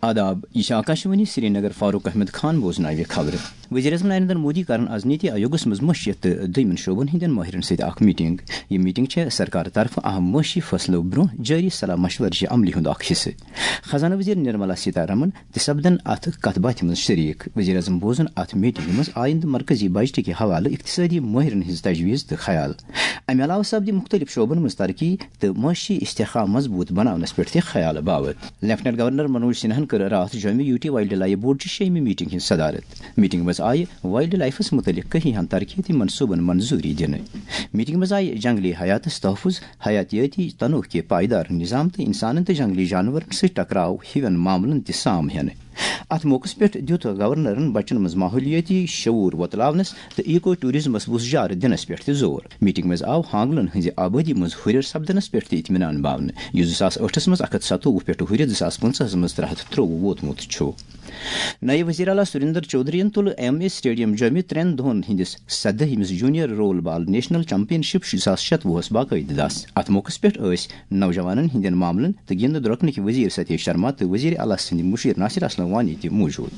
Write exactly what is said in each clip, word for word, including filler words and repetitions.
آداب، یہِ چھِ آکاشوانی سرینگر۔ فاروق احمد خان بوزناوِ خبرٕ۔ وزیر اعظم نریندر مودی کرن آز نیتی آیوگس منٛز معاشیت تہٕ دوٚیمٮ۪ن شعبن ہٕنٛدٮ۪ن مٲہرن سۭتۍ اکھ میٹنگ۔ یہِ میٹنگ چھےٚ سرکار طرفہٕ اہم معاشی فٲصلو برٛونٛہہ جٲری صلاح مشورٕچہِ عملہِ ہُنٛد اکھ حصہٕ۔ خزانہٕ وزیر نرملا سیتارمن تہِ سپدن اتھ کتھ باتھِ منٛز شریک۔ وزیر اعظم بوزن اتھ میٹنگہِ منٛز آیندٕ مرکزی بجٹٕکہِ حوالہٕ اقتصٲدی مٲہرن ہٕنٛز تجویز تہٕ خیال۔ امہِ علاوٕ سپدِ مُختٔلِف شعبن منٛز ترقی تہٕ معاشی استحکام مضبوٗط بناونس پٮ۪ٹھ تہِ خیال باوت۔ لیفٹیننٹ گورنر منوج سنہاہن کٔر راتھ جوٚمہِ یوٗ ٹی وایلڈ لایف بورڈچہِ شیٚیمہِ میٹنگ ہٕنٛز صدارت۔ میٹنگ منٛز آیہِ وایلڈ لائفس مُتعلق کینٛہَن ترقیتی منصوٗبن منظوٗری دِنہٕ۔ میٹنگ منٛز آیہِ جنگلی حیاتس تحفظ، حیاتیٲتی تنوع کہِ پائیدار نظام تہٕ انسانن تہٕ جنگلی جانورن سۭتۍ ٹکراو ہِوٮ۪ن معاملن تہِ سام ہٮ۪نہٕ۔ اتھ موقعس پٮ۪ٹھ دِیُت گورنرن بچن منٛز ماحولیٲتی شعور وۄتلاونس تہٕ ایکو ٹورازمس وُژھ جار دِنس پٮ۪ٹھ تہِ زور۔ میٹنگ منٛز آو ہانگلن ہٕنٛزِ آبٲدی منٛز ہُرٮ۪ر سپدنس پٮ۪ٹھ تہِ اطمینان باونہٕ، یُس زٕ ساس ٲٹھس منٛز اکھ ہتھ ستووُہ پٮ۪ٹھ ہُرِتھ زٕ ساس پٕنٛژٕہس منٛز ترٛےٚ ہتھ ترٛۆوُہ ووتمُت چھُ۔ نایب وزیر اعلیٰ سریندر چودھرین تُل ایم اے سٹیڈیم جوٚمہِ ترٛٮ۪ن دۄہن ہٕنٛدِس سدٲہمِس جونیئر رول بال نیشنل چیمپین شپ زٕ ساس شتوُہس باقٲعدٕ دس۔ اتھ موقعس پٮ۪ٹھ ٲسۍ نوجوانن ہٕنٛدٮ۪ن معاملن تہٕ گِنٛدٕ درۄکنٕکۍ وزیر ستیش شرما تہٕ وزیر اعلیٰ سٕنٛدۍ مُشیر ناصر اسلم وانی تہِ موجود۔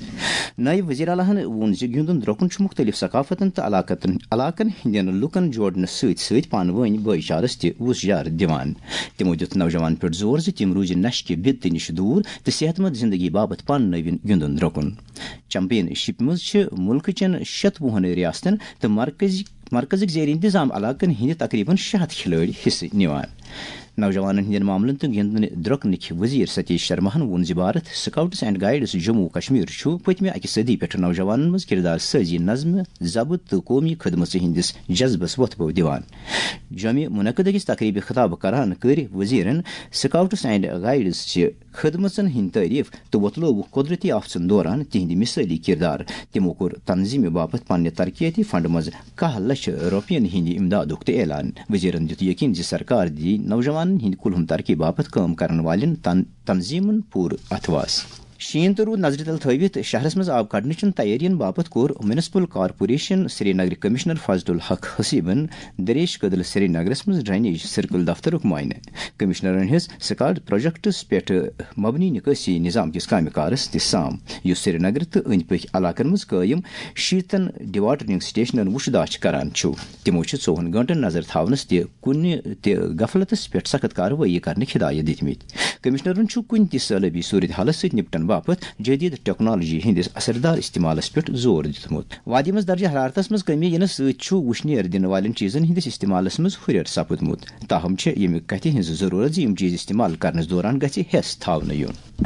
نایب وزیر اعلیٰ ہن ووٚن زِ گِنٛدُن درۄکُن چھُ مُختٔلِف ثقافتن تہٕ علاقتن، علاقن ہٕنٛدٮ۪ن لوٗکن جوڑنس سۭتۍ سۭتۍ پانہٕ وٲنۍ بٲے چارس تہِ وُژھ جار دِوان۔ تِمو دِیُت نوجوانن پٮ۪ٹھ زور زِ تِم روٗزِ نشہِ کہِ بِدتہٕ نِش دوٗر تہٕ صحت مند زندگی باپتھ پانہٕ نٔوِن گِنٛدُن درۄکُن۔ چیمپین شپ منٛز چھِ مُلکہٕ چٮ۪ن شتوُہن ریاستن تہٕ مرکزی، مرکزٕکۍ زیر انتظام علاقن ہٕنٛدۍ تقریباً شےٚ ہتھ کھلٲڑۍ حصہٕ نِوان۔ نوجوانن ہٕنٛدٮ۪ن معاملن تہٕ گِنٛدنہٕ درۄکنٕکۍ وزیر ستیش شرماہن ووٚن زِ Bharat scouts and guides Jammu و کشمیر چھُ پٔتمہِ اکہِ صدی پٮ۪ٹھ نوجوانن منٛز کردار سازی، نظمہِ ضبط تہٕ قومی خدمژ ہٕنٛدِس جذبس وۄتھٕ بو دِوان۔ جوٚمہِ منعقد أکِس تقریبہِ خطاب کران کٔرۍ وزیرن سکاؤٹس اینڈ گائیڈس چہِ خدمژن ہٕنٛدۍ تعریف تہٕ وۄتلووُکھ قۄدرٔتی آفژن دوران تِہنٛدِ مثٲلی کردار۔ تِمو کوٚر تنظیمہِ باپتھ پننہِ ترقیتی فنڈ منٛز کاہ لچھ رۄپین ہٕنٛدِ امدادُک تہِ اعلان۔ وزیرن دِیُت یقین زِ سرکار دِیہِ نوجوانن ہٕنٛدِ کُلہُم ترقی باپتھ کٲم کرن والٮ۪ن تن-، تنظیمن پوٗرٕ اتھواس۔ شیٖن تہٕ روٗد نظرِ تل تھٲوِتھ شہرس منٛز آب کڑنٕچن تیٲرین باپتھ کوٚر میونسپل کارپوریشن سرینگرٕ کمشنر فاضل الحق حسیبن دریش کدل سرینگرس منٛز ڈرینیج سرکل دفترُک معائنہٕ۔ کمشنرن ہیٚژ سکالڈ پروجیکٹس پٮ۪ٹھ مبنی نکٲسی نظام کِس کامہِ کارس تہِ سام، یُس سرینگر تہٕ أنٛدۍ پٔکۍ علاقن منٛز قٲیِم شیٖتن ڈیواٹرنگ سٹیشنن وُچھ داچھ کران چھُ۔ تِمو چھِ ژوٚوُہن گٲنٛٹن نظر تھاونس تہِ کُنہِ تہِ غفلتس پٮ۪ٹھ سخت کاروٲیی کرنٕکۍ ہدایت دِتمٕتۍ۔ کمشنرن چھُ کُنہِ تہِ سٲلٲبی صورت حالس سۭتۍ نپٹن باپتھ جدید ٹیکنالوجی ہٕنٛدِس اثردار استعمالس پٮ۪ٹھ زور دیُتمُت۔ وادی منٛز درجہ حرارتس منٛز کمی یِنہٕ سۭتۍ چھُ وُشنیر دِنہٕ والٮ۪ن چیٖزن ہٕنٛدِس استعمالس منٛز ہُرٮ۪ر سپُدمُت۔ تاہم چھےٚ ییٚمہِ کتھِ ہٕنٛز ضروٗرت زِ یِم چیٖز استعمال کرنس دوران گژھِ ہٮ۪س تھاونہٕ یُن۔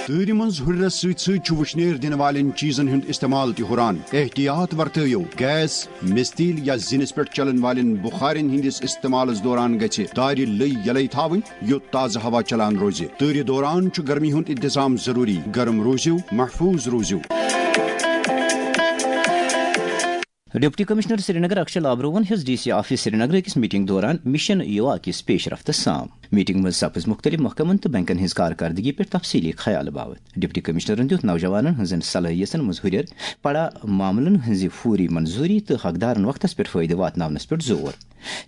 تۭرِ منٛز ہُرٮ۪رس سۭتۍ سۭتۍ چھُ وُشنیر دِنہٕ والٮ۪ن چیٖزن ہُنٛد استعمال تہِ ہُران۔ احتیاط ورتٲیِو۔ گیس، مِستیٖل یا زِنِس پٮ۪ٹھ چلن والٮ۪ن بُخارٮ۪ن ہٕنٛدِس استعمالس دوران گژھِ دارِ لٔۍ یلے تھاوٕنۍ، یوٚت تازٕ ہوا چلان روزِ۔ تۭرِ دوران چھُ گرمی ہُنٛد انتظام ضروٗری۔ گرم روٗزِو، محفوٗظ روٗزِو۔ ڈپٹی کمشنر سرینگر اکشے لابروہن ہیٚژ ڈی سی آفس سرینگر أکِس میٹنگ دوران مشن یووا کِس پیش رفتس سام۔ میٹنگ منٛز سپٕز مُختٔلِف محکمن تہٕ بینکن ہٕنٛز کارکردگی پٮ۪ٹھ تفصیٖلی خیال باوت۔ ڈپٹی کمشنرن دیُت نوجوانن ہٕنٛزن صلٲحیتن منٛز ہُرٮ۪ر، پڑا معاملن ہٕنٛزِ فوری منظوٗری تہٕ حقدارن وقتس پٮ۪ٹھ فٲیدٕ واتناونس پٮ۪ٹھ زور۔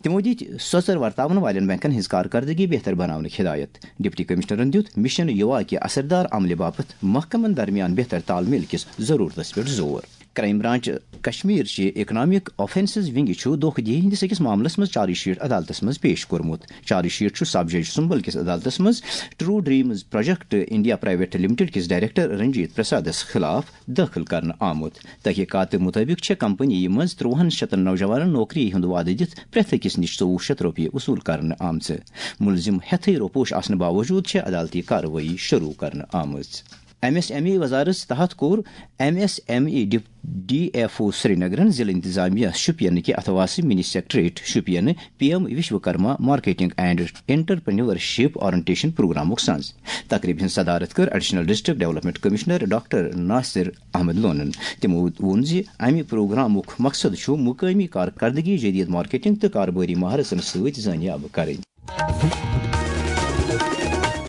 تِمو دِتۍ سۄژر ورتاون والٮ۪ن بینکن ہٕنٛز کارکردگی بہتر بناونٕکۍ ہدایت۔ ڈپٹی کمشنرن دیُت مشن یووا کہِ اثردار عملہِ باپتھ محکمن درمیان بہتر تال میل کِس ضرورتس پٮ۪ٹھ زور۔ کرائم برانچ کشمیر چہِ اکنامک آفینسز ونگہِ چھُ دھوکہ دہی ہٕنٛدِس أکِس معاملس منٛز چارج شیٹ عدالتس منٛز پیش کوٚرمُت۔ چارج شیٹ چھُ سب جج سُمبل کِس عدالتس منٛز true dreams project India private limited کِس ڈائریکٹر رنجیت پرسادس خلاف دٲخل کرنہٕ آمُت۔ تحقیقات مُطٲبِق چھےٚ کمپنی منٛز ترٛوہن شتن نوجوانن نوکری ہُنٛد وعدٕ دِتھ پرٛٮ۪تھ أکِس نِش ژوٚوُہ شتھ رۄپیہِ وصوٗل کرنہٕ آمژٕ۔ مُلزِم ہٮ۪تھٕے روپوش آسنہٕ باوجوٗد چھےٚ عدالتی کاروٲیی شروٗع کرنہٕ آمٕژ۔ ایم ایس ایم ای وزارت تحت کوٚر M S M E D, D F O سرینگرن ضلع انتظامیہ شوپین کہِ اتھواسہٕ mini secretariat Shopian P M Vishwakarma marketing and entrepreneurship orientation پروگرامُک سنز۔ تقریبہِ ہٕنٛز صدارت کٔر additional district development commissioner doctor Nasir Ahmad لونن۔ تِمو ووٚن زِ امہِ پروگرامُک مقصد چھُ مقٲمی کارکردگی، جدید مارکیٹنگ تہٕ کاربٲری مہارتن سۭتۍ زٲنیاب کرٕنۍ۔